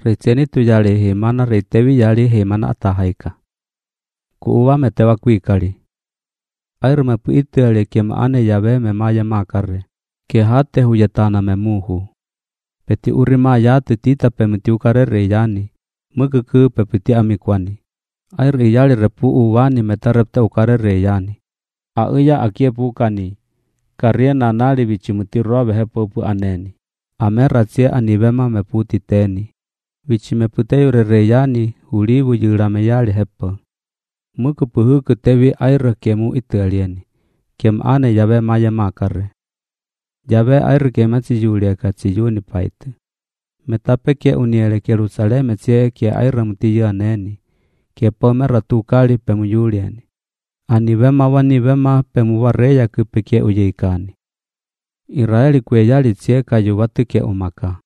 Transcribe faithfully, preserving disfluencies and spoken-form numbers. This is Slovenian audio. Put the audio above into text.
Ritseni tu yali himana ritevi yali himana atahaika. Kuuwa metewa kuikali. Air me puitiali kiem ane Yahweh me maya makare. Ke hate huyetana me muhu. Peti urima yate tita pemetiukare reyani. Mukuku pepiti amikwani. Air iyali repu uwani metarepte ukare reyani. Auya akie pukani. Karia nanali vichimuti robe hepopu aneni. Ameratsie anivema meputi teni. Vichimeputeyure reyani ulivu yurame yali hepo. Muku puhuku tevi air kemu italieni. Kem ane Yahweh maya makare. Yahweh air kematsi yuliaka tsi yuni paite. Metape ke uniele Jerusaleme tsie ke air mutiya neni. Ke pomera tukali pemu yulieni. Anivema wanivema pemu wareya kupike uyeikani. Israeli kwe yali tsie kayu watu ke umaka.